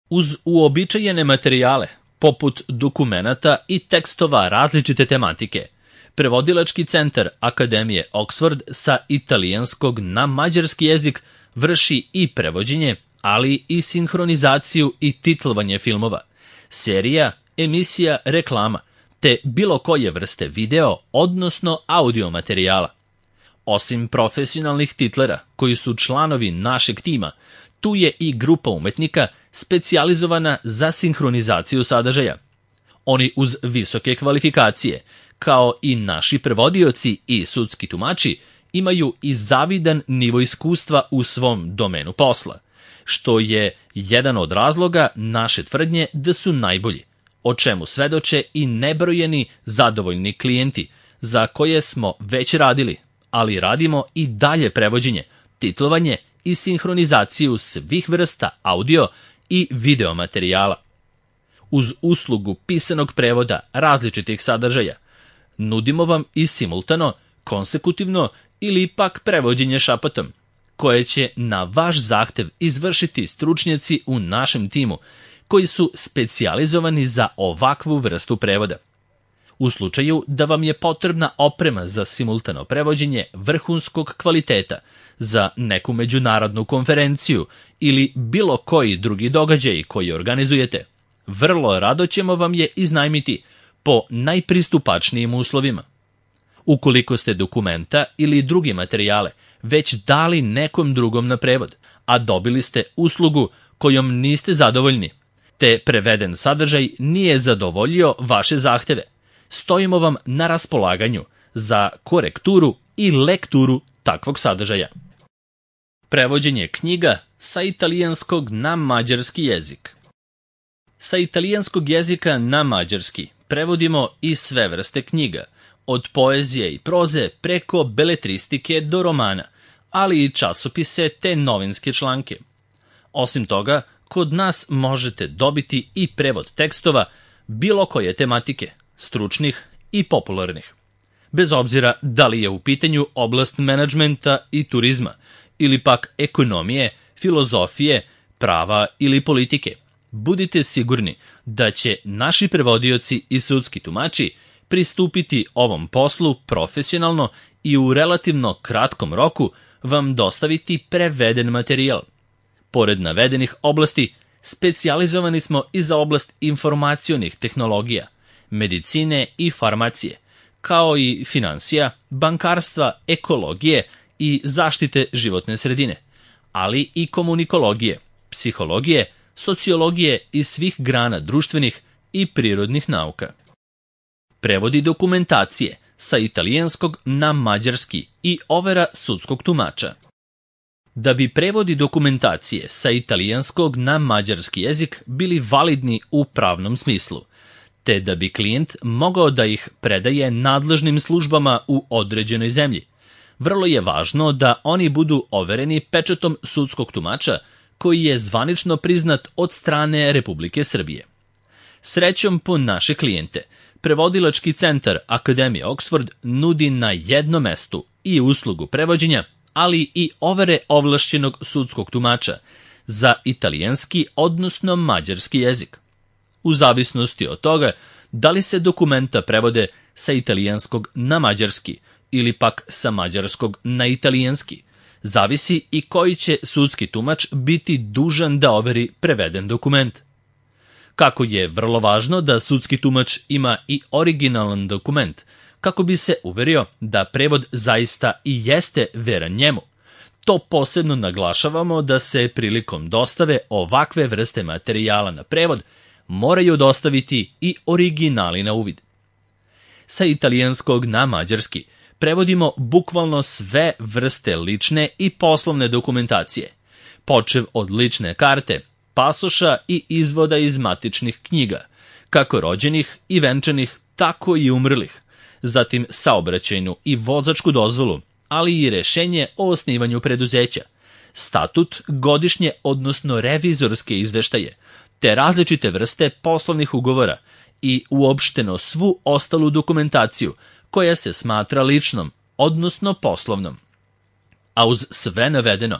Uz uobičajene materijale, poput dokumenata i tekstova različite tematike, Prevodilački centar Akademije Oxford sa italijanskog na mađarski jezik vrši i prevođenje, ali i sinhronizaciju i titlovanje filmova, serija, emisija, reklama, te bilo koje vrste video, odnosno audio materijala. Osim profesionalnih titlera, koji su članovi našeg tima, tu je i grupa umetnika specijalizovana za sinhronizaciju sadržaja. Oni uz visoke kvalifikacije, kao i naši prevodioci i sudski tumači, imaju i zavidan nivo iskustva u svom domenu posla, što je jedan od razloga naše tvrdnje da su najbolji, o čemu svedoče i nebrojeni zadovoljni klijenti, za koje smo već radili, ali radimo i dalje prevođenje, titlovanje i sinhronizaciju svih vrsta audio i video materijala. Uz uslugu pisanog prevoda različitih sadržaja, nudimo vam i simultano, konsekutivno ili pak prevođenje šapatom, koje će na vaš zahtev izvršiti stručnjaci u našem timu, koji su specijalizovani za ovakvu vrstu prevoda. U slučaju da vam je potrebna oprema za simultano prevođenje vrhunskog kvaliteta za neku međunarodnu konferenciju ili bilo koji drugi događaj koji organizujete, vrlo rado ćemo vam je iznajmiti po najpristupačnijim uslovima. Ukoliko ste dokumenta ili druge materijale već dali nekom drugom na prevod, a dobili ste uslugu kojom niste zadovoljni, te preveden sadržaj nije zadovoljio vaše zahteve, stojimo vam na raspolaganju za korekturu i lekturu takvog sadržaja. Prevođenje knjiga sa italijanskog na mađarski jezik. Sa italijanskog jezika na mađarski prevodimo i sve vrste knjiga, od poezije i proze preko beletristike do romana, ali i časopise te novinske članke. Osim toga, kod nas možete dobiti i prevod tekstova bilo koje tematike, stručnih i popularnih. Bez obzira da li je u pitanju oblast menadžmenta i turizma, ili pak ekonomije, filozofije, prava ili politike, budite sigurni da će naši prevodioci i sudski tumači pristupiti ovom poslu profesionalno i u relativno kratkom roku vam dostaviti preveden materijal. Pored navedenih oblasti, specijalizovani smo i za oblast informacionih tehnologija, medicine i farmacije, kao i finansija, bankarstva, ekologije i zaštite životne sredine, ali i komunikologije, psihologije, sociologije i svih grana društvenih i prirodnih nauka. Prevodi dokumentacije sa italijanskog na mađarski i overa sudskog tumača. Da bi prevodi dokumentacije sa italijanskog na mađarski jezik bili validni u pravnom smislu, te da bi klijent mogao da ih predaje nadležnim službama u određenoj zemlji, vrlo je važno da oni budu overeni pečatom sudskog tumača koji je zvanično priznat od strane Republike Srbije. Srećom po naše klijente, Prevodilački centar Akademije Oxford nudi na jednom mestu i uslugu prevođenja, ali i overe ovlašćenog sudskog tumača za italijanski, odnosno mađarski jezik. U zavisnosti od toga da li se dokumenta prevode sa italijanskog na mađarski ili pak sa mađarskog na italijanski, zavisi i koji će sudski tumač biti dužan da overi preveden dokument. Kako je vrlo važno da sudski tumač ima i originalan dokument, kako bi se uverio da prevod zaista i jeste veran njemu. To posebno naglašavamo da se prilikom dostave ovakve vrste materijala na prevod moraju dostaviti i originali na uvid. Sa italijanskog na mađarski prevodimo bukvalno sve vrste lične i poslovne dokumentacije, počev od lične karte, pasoša i izvoda iz matičnih knjiga, kako rođenih i venčanih, tako i umrlih, zatim saobraćajnu i vozačku dozvolu, ali i rešenje o osnivanju preduzeća, statut, godišnje odnosno revizorske izveštaje, te različite vrste poslovnih ugovora i uopšteno svu ostalu dokumentaciju koja se smatra ličnom, odnosno poslovnom. A uz sve navedeno,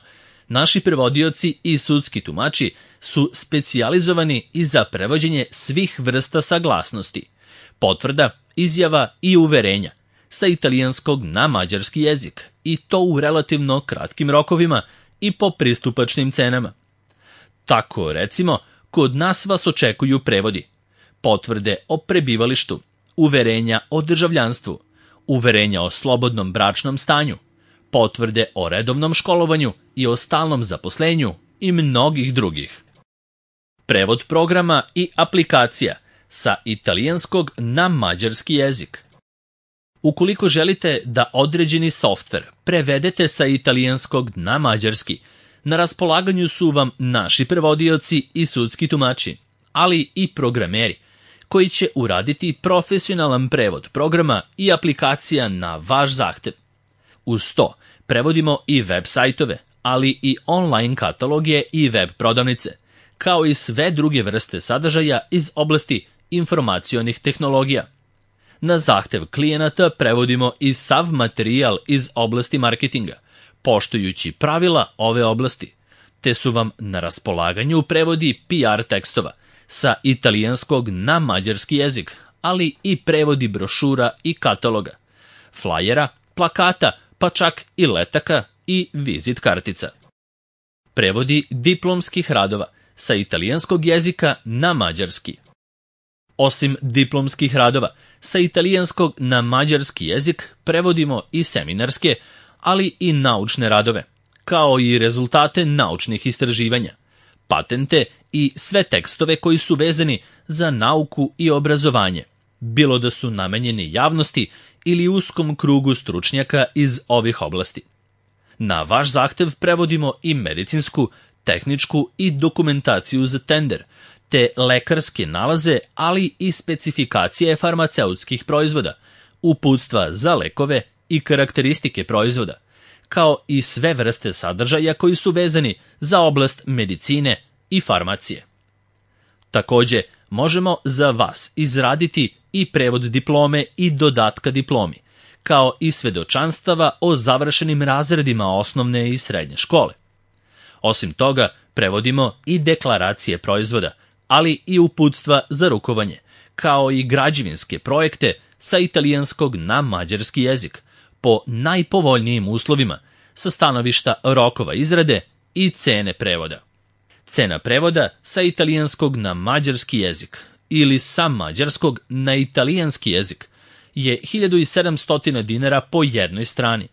Naši prevodioci i sudski tumači su specijalizovani i za prevođenje svih vrsta saglasnosti, potvrda, izjava i uverenja sa italijanskog na mađarski jezik, i to u relativno kratkim rokovima i po pristupačnim cenama. Tako, recimo, kod nas vas očekuju prevodi: potvrde o prebivalištu, uverenja o državljanstvu, uverenja o slobodnom bračnom stanju, potvrde o redovnom školovanju i o stalnom zaposlenju i mnogih drugih. Prevod programa i aplikacija sa italijanskog na mađarski jezik. Ukoliko želite da određeni softver prevedete sa italijanskog na mađarski, na raspolaganju su vam naši prevodioci i sudski tumači, ali i programeri, koji će uraditi profesionalan prevod programa i aplikacija na vaš zahtev. Uz to, prevodimo i web sajtove, ali i online kataloge i web prodavnice, kao i sve druge vrste sadržaja iz oblasti informacionih tehnologija. Na zahtev klijenata prevodimo i sav materijal iz oblasti marketinga, poštujući pravila ove oblasti, te su vam na raspolaganju prevodi PR tekstova sa italijanskog na mađarski jezik, ali i prevodi brošura i kataloga, flajera, plakata, pa čak i letaka i vizit kartica. Prevodi diplomskih radova sa italijanskog jezika na mađarski. Osim diplomskih radova sa italijanskog na mađarski jezik, prevodimo i seminarske, ali i naučne radove, kao i rezultate naučnih istraživanja, patente i sve tekstove koji su vezani za nauku i obrazovanje, bilo da su namenjeni javnosti ili uskom krugu stručnjaka iz ovih oblasti. Na vaš zahtev prevodimo i medicinsku, tehničku i dokumentaciju za tender, te lekarske nalaze, ali i specifikacije farmaceutskih proizvoda, uputstva za lekove i karakteristike proizvoda, kao i sve vrste sadržaja koji su vezani za oblast medicine i farmacije. Takođe, možemo za vas izraditi i prevod diplome i dodatka diplomi, kao i svedočanstava o završenim razredima osnovne i srednje škole. Osim toga, prevodimo i deklaracije proizvoda, ali i uputstva za rukovanje, kao i građevinske projekte sa italijanskog na mađarski jezik, po najpovoljnijim uslovima, sa stanovišta rokova izrade i cene prevoda. Cena prevoda sa italijanskog na mađarski jezik ili sa mađarskog na italijanski jezik je 1700 dinara po jednoj strani.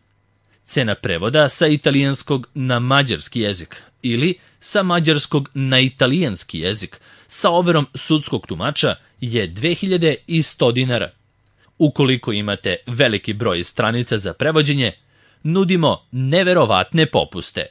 Cena prevoda sa italijanskog na mađarski jezik ili sa mađarskog na italijanski jezik sa overom sudskog tumača je 2100 dinara. Ukoliko imate veliki broj stranica za prevođenje, nudimo neverovatne popuste.